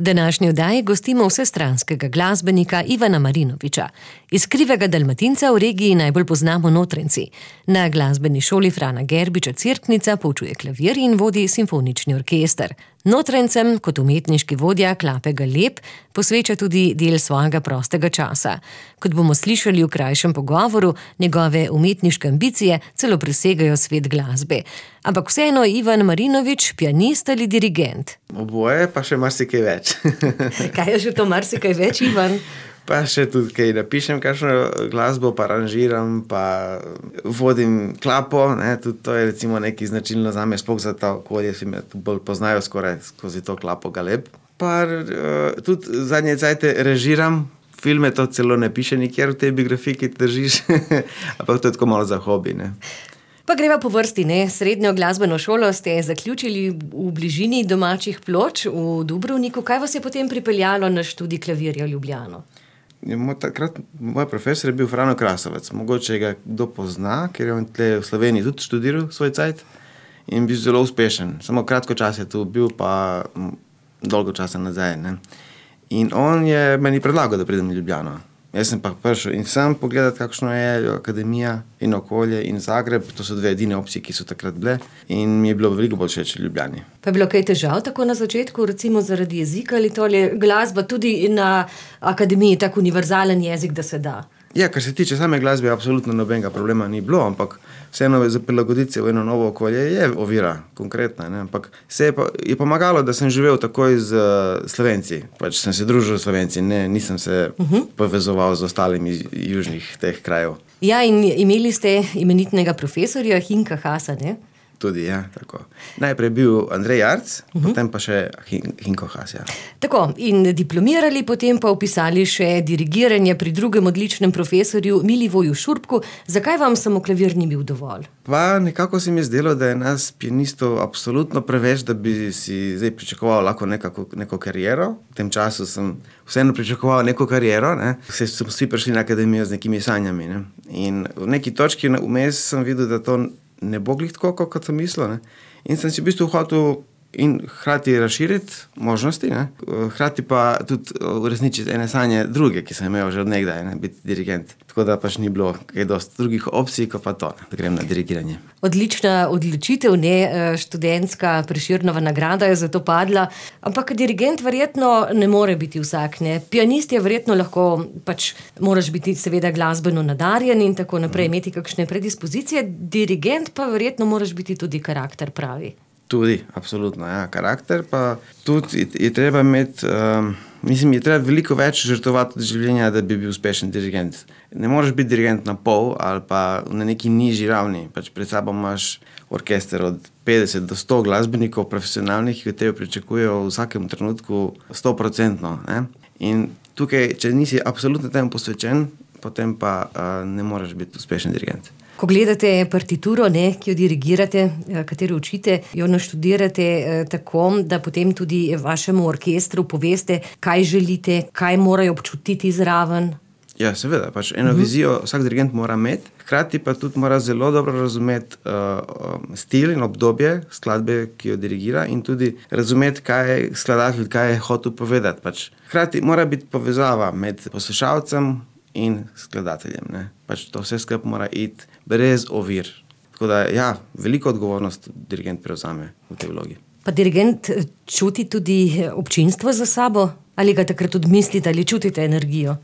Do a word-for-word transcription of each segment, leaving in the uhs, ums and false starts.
Današnji oddaji gostimo vsestranskega glasbenika Ivana Marinovića. Iz Krivega Dalmatinca v regiji najbolj poznamo Notranjci. Na glasbeni šoli Frana Gerbiča Cerknica poučuje klavir in vodi simfonični orkester. Notranjcem kot umetniški vodja klape Galeb posveča tudi del svojega prostega časa. Kot bomo slišali v krajšem pogovoru, njegove umetniške ambicije celo presegajo svet glasbe. Ampak vseeno je Ivan Marinović pianist ali dirigent. Oboje, pa še marsikaj več. Kaj je že to marsikaj več, Ivan? Pa še tudi kaj napišem, kakšno glasbo, pa aranžiram, pa vodim klapo, ne, tudi to je recimo nekaj značilno zame, sploh za to okolje, si me bolj poznajo skoraj skozi to klapo Galeb. Pa uh, tudi zadnje cajte režiram filme, to celo ne piše nikjer v tej biografiji, ki te držiš, ampak to je tako malo za hobi, ne. Pa greva po vrsti, ne? Srednjo glasbeno šolo ste zaključili v bližini domačih Ploč v Dubrovniku. Kaj vas je potem pripeljalo na študij klavirja v Ljubljano? Moj, takrat, moj profesor je bil Frano Krasovec. Mogoče ga kdo pozna, ker je on tle v Sloveniji tudi študiral svoj cajt in bil zelo uspešen. Samo kratko čas je tu bil, pa dolgo časa nazaj, ne. In on je meni predlagal, da pridem v Ljubljano. Jaz sem pa prišel in sam pogledati, kakšno je akademija in okolje in Zagreb. To so dve edine opcije, ki so takrat bile in mi je bilo veliko bolj všeč v Ljubljani. Pa je bilo kaj težav tako na začetku, recimo zaradi jezika ali tole glasba tudi na akademiji tak univerzalen jezik, da se da? Ja, kar se tiče same glasbe, absolutno nobenega problema ni bilo, ampak vseeno za prilagoditi se v eno novo okolje je ovira, konkretna, ne, ampak se je, pa, je pomagalo, da sem živel takoj z uh, Slovenci, pač sem se družil z Slovenci, ne, nisem se uh-huh. povezoval z ostalimi južnih teh krajev. Ja, in imeli ste imenitnega profesorja Hinka Hasa, ne? Tudi, ja, tako. Najprej je bil Andrej Jarc, uh-huh. potem pa še Hinko Has, ja. Tako, in diplomirali, potem pa upisali še dirigiranje pri drugem odličnem profesorju Milivoju Šurbku. Zakaj vam samo klavir ni bil dovolj? Pa nekako se mi je zdelo, da je nas pianistov absolutno preveč, da bi si zdaj pričakoval lahko nekako, neko kariero. V tem času sem vseeno pričakoval neko kariero, ne. Vse so vsi prišli na akademijo z nekimi sanjami, ne. In v neki točki vmes sem videl, da to ne bo glih tako, kot sem mislil, ne. In sem si v bistvu hotel in hkrati razširiti možnosti, ne. Hkrati pa tudi uresničiti ene sanje druge, ki sem imel že od nekdaj, ne, biti dirigent. Tako da pač ni bilo kaj dosti drugih opcij, kot pa to, da grem na dirigiranje. Odlična odločitev, ne, študentska Prešernova nagrada je za to padla, ampak dirigent verjetno ne more biti vsak, ne. Pianist je verjetno lahko, pač moraš biti seveda glasbeno nadarjen in tako naprej, mm. imeti kakšne predispozicije, dirigent pa verjetno moraš biti tudi karakter pravi. Tudi, absolutno, ja, karakter pa tudi je, je treba imeti, um, mislim, je treba veliko več žrtvovati od življenja, da bi bil uspešen dirigent. Ne moreš biti dirigent na pol ali pa na neki nižji ravni, pač pred sabo imaš orkester od petdeset do sto glasbenikov profesionalnih, ki od tebe pričakujejo v vsakem trenutku sto procentno, ne. In tukaj, če nisi absolutno temu posvečen, potem pa uh, ne moreš biti uspešen dirigent. Ko gledate partituro, ne, ki jo dirigirate, katero učite, jo naštudirate eh, tako, da potem tudi vašemu orkestru poveste, kaj želite, kaj morajo občutiti zraven. Ja, seveda, pač eno uh-huh. vizijo vsak dirigent mora imeti, hkrati pa tudi mora zelo dobro razumeti uh, stil in obdobje skladbe, ki jo dirigira in tudi razumeti, kaj je skladatelj, kaj je hotel povedati. Pač hkrati mora biti povezava med poslušalcem in skladateljem, ne. Pač to vse skupaj mora iti brez ovir. Tako da, ja, veliko odgovornost dirigent prevzame v tej vlogi. Pa dirigent čuti tudi občinstvo za sabo? Ali ga takrat tudi mislite, ali čutite energijo?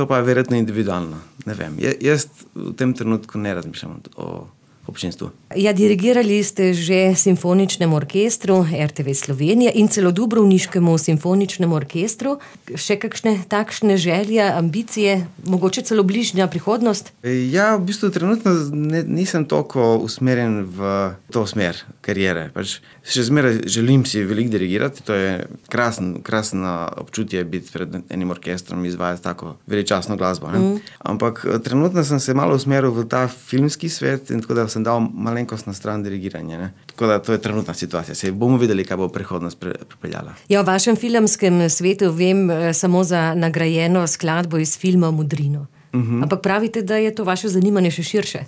To pa je verjetno individualno, ne vem. Je, jaz v tem trenutku ne razmišljam o občinstvu. Ja, dirigirali ste že simfoničnemu orkestru er te ve Slovenija in celo Dubrovniškemu simfoničnemu orkestru. Še kakšne takšne želje, ambicije, mogoče celo bližnja prihodnost? Ja, v bistvu trenutno ne, nisem toliko usmerjen v to smer kariere. Pač še zmeraj želim si veliko dirigirati, to je krasen, krasno občutje biti pred enim orkestrom, izvajati tako veličastno glasbo, ne? Mm. Ampak trenutno sem se malo usmeril v ta filmski svet in tako da sem dal malenkost na stran dirigiranja, ne. Tako da to je trenutna situacija. Se bomo videli, kaj bo prihodnost pripeljala. Ja, v vašem filmskem svetu vem samo za nagrajeno skladbo iz filma Modrino. Uh-huh. Ampak pravite, da je to vaše zanimanje še širše?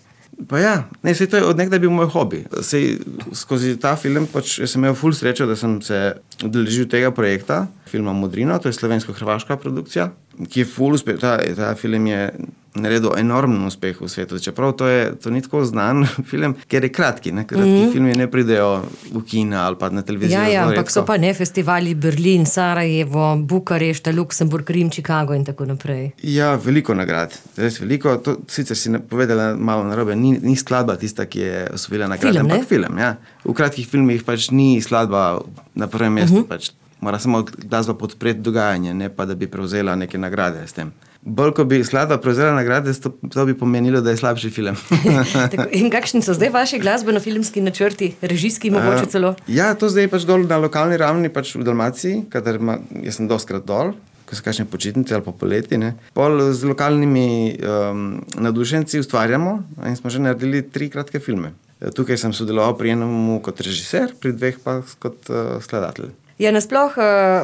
Pa ja, ne, sej to je od nekdaj bil moj hobi. Sej skozi ta film, pač jaz sem imel ful srečo, da sem se udeležil tega projekta, filma Modrino, to je slovensko-hrvaška produkcija, ki je ful uspeh. Ta, ta film je naredil enormen uspeh v svetu, čeprav to je to ni tako znan film, ker je kratki, ne? Kratki mm-hmm. filmi ne pridejo v kina ali pa na televizijo. Ja, ja, ampak so pa ne festivali Berlin, Sarajevo, Bukarešta, Luksemburg, Rim, Chicago in tako naprej. Ja, veliko nagrad, res veliko. To sicer si povedala malo narobe, ni, ni skladba tista, ki je osvojila nagrade, film, ampak film, ja. V kratkih filmih pač ni skladba na prvem mestu, uh-huh. pač mora samo glasba podpreti dogajanje, ne pa da bi prevzela neke nagrade s tem. Bolj, ko bi skladba prevzela nagrade, to, to bi pomenilo, da je slabši film. Tako, in kakšni so zdaj vaši glasbeno-filmski načrti, režijski mogoče celo? Uh, ja, to zdaj pač dol na lokalni ravni, pač v Dalmaciji, kadar ma, jaz sem dostkrat dol, ko so kakšne počitnice ali pa poleti, ne. Pol z lokalnimi um, navdušenci ustvarjamo in smo že naredili tri kratke filme. Tukaj sem sodeloval pri enem kot režiser, pri dveh pa kot uh, skladatelj. Ja, nasploh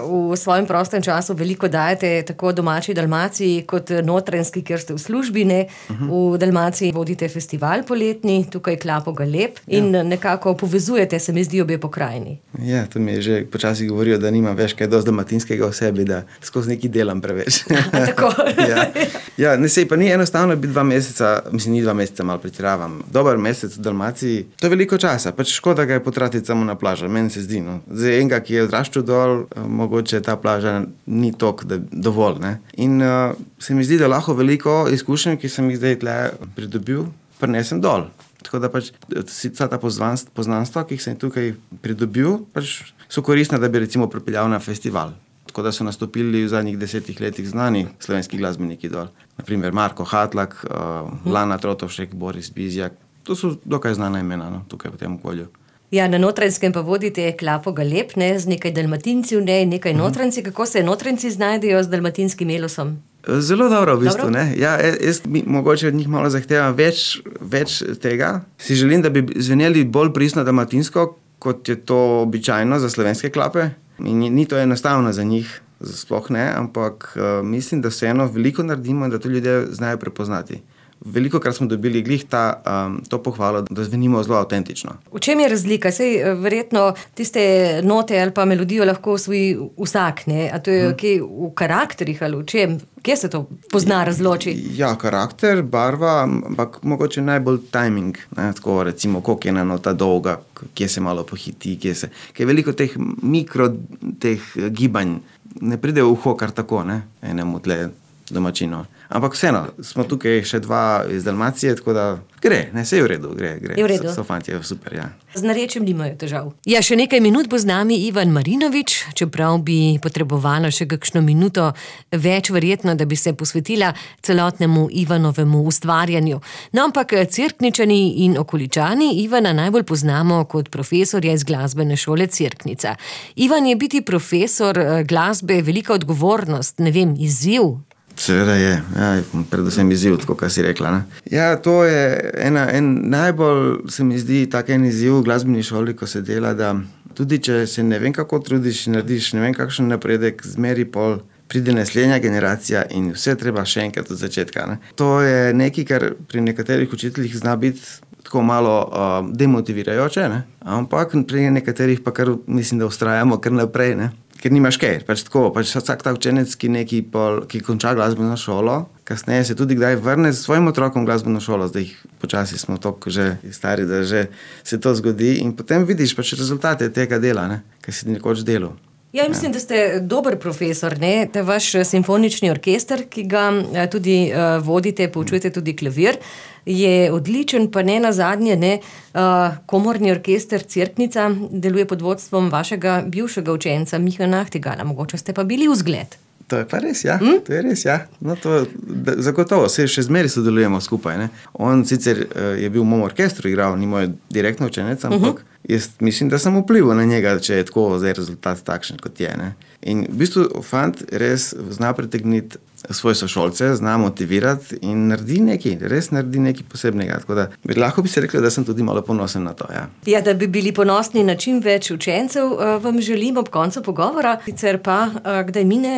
v svojem prostem času veliko dajete tako domači Dalmaciji kot notranjski, kjer ste v službi, ne? Uh-huh. V Dalmaciji vodite festival poletni, tukaj Klapo Galeb in ja. Nekako povezujete, se mi zdi, obe pokrajini. Ja, to mi je že počasi govorijo, da nimam več kaj dosti dalmatinskega v sebi, da skozi neki delam preveč. Tako. ja, ja ne sej, pa ni enostavno biti dva meseca, mislim, ni dva meseca, malo pretiravam. Dober mesec v Dalmaciji, to je veliko časa, pač škoda ga je potratiti samo na plažo, meni se zdi, no. Zdaj enega, ki je odraščal dol, mogoče ta plaža ni tok, da dovolj, ne. In uh, se mi zdi, da lahko veliko izkušenj, ki sem jih zdaj tle pridobil, prinesem dol. Tako da pač vsa ta poznanstva, ki sem tukaj pridobil, pač so koristne, da bi recimo pripeljal na festival. Tako da so nastopili v zadnjih desetih letih znani slovenski glasbeniki dol. Naprimer Marko Hatlak, uh, Lana Trotovšek, Boris Bizjak. To so dokaj znana imena, no, tukaj v tem okolju. Ja, na Notranjskem pa vodite Klapo Galeb, ne, z nekaj Dalmatincev, ne, nekaj Notranjci. Kako se Notranjci znajdejo z dalmatinskim elosom? Zelo dobro, v bistvu, dobro? Ne. Ja, jaz mi, mogoče od njih malo zahtevam več, več tega. Si želim, da bi zveneli bolj pristno dalmatinsko, kot je to običajno za slovenske klape. In ni to enostavno za njih, sploh ne, ampak uh, mislim, da vseeno veliko naredimo in da to ljudje znajo prepoznati. Veliko krat smo dobili glih ta, um, to pohvalo, da zvenimo zelo avtentično. V čem je razlika? Sej verjetno tiste note ali pa melodijo lahko osvoji vsak, ne? A to je hmm. kje v karakterih ali v čem? Kje se to pozna, razloči? Ja, karakter, barva, ampak mogoče najbolj timing. Ne? Tako recimo, koliko je ena nota dolga, kje se malo pohiti, kje se... Kje veliko teh mikro teh gibanj ne pride v uho kar tako, ne? Enemu tle domačino. Ampak vseeno, smo tukaj še dva iz Dalmacije, tako da gre, ne, sej je v redu, gre, gre. Je v redu. So, so fantje, super, ja. Z narečjem nimajo težav. Ja, še nekaj minut bo z nami Ivan Marinovič, čeprav bi potrebovala še kakšno minuto več verjetno, da bi se posvetila celotnemu Ivanovemu ustvarjanju. No, ampak Cerkničani in okoličani Ivana najbolj poznamo kot profesorja iz glasbene šole Cerknica. Ivan, je biti profesor glasbe velika odgovornost, ne vem, izziv? Seveda je, ja, predvsem izziv, tako kar si rekla. Ne? Ja, to je ena, en najbolj, se mi zdi, tak en izziv v glasbeni šoli, ko se dela, da tudi če se ne vem kako trudiš, narediš ne vem kakšen napredek, zmeri pol pride naslednja generacija in vse treba še enkrat od začetka. Ne? To je nekaj, kar pri nekaterih učiteljih zna biti tako malo uh, demotivirajoče, ne? Ampak pri nekaterih pa kar mislim, da vztrajamo kar naprej, ne? Ker nimaš kaj, pač tako, pač vsak ta učenec, ki neki pol, ki konča glasbeno šolo, kasneje se tudi kdaj vrne s svojim otrokom v glasbeno šolo, zdaj jih počasi smo toliko že stari, da že se to zgodi in potem vidiš pač rezultate tega dela, ne, kaj si nekoč delal. Ja, mislim, da ste dober profesor, ne? Ta vaš simfonični orkester, ki ga tudi uh, vodite, poučujete tudi klavir, je odličen, pa ne nazadnje, ne? Uh, komorni orkester Cerknica deluje pod vodstvom vašega bivšega učenca Miha Nachtigala. Mogoče ste pa bili vzgled. To je pa res, ja. Hm? To je res, ja. No, to, da, zagotovo, se še zmeri sodelujemo skupaj, ne. On sicer uh, je bil v mom orkestru igral, ni moj direktno učenec, ampak uh-huh. jaz mislim, da sem vplival na njega, če je tako zdaj rezultat takšen, kot je, ne. In v bistvu fant res zna pritegniti svoje sošolce, zna motivirati in naredi nekaj, res naredi nekaj posebnega. Tako da bi lahko bi se rekla, da sem tudi malo ponosen na to. Ja. Ja, da bi bili ponosni na čim več učencev, vam želim ob koncu pogovora. Sicer pa, kdaj mine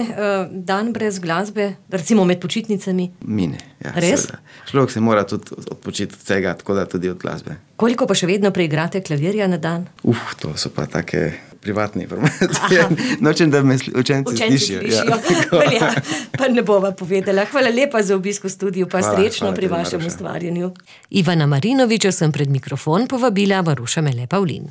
dan brez glasbe, recimo med počitnicami? Mine, ja. Res? Seveda. Človek se mora tudi odpočiti od vsega, tako da tudi od glasbe. Koliko pa še vedno preigrate klavirja na dan? Uf, to so pa take privatne informacije. Nočem, da me učenci slišijo. Učenci slišijo. Ja. Ja, pa ne bova povedala. Hvala lepa za obisk v studiu, pa hvala, srečno hvala pri vašem ustvarjanju. Ivana Marinoviča sem pred mikrofon povabila Maruša Mele Pavlin.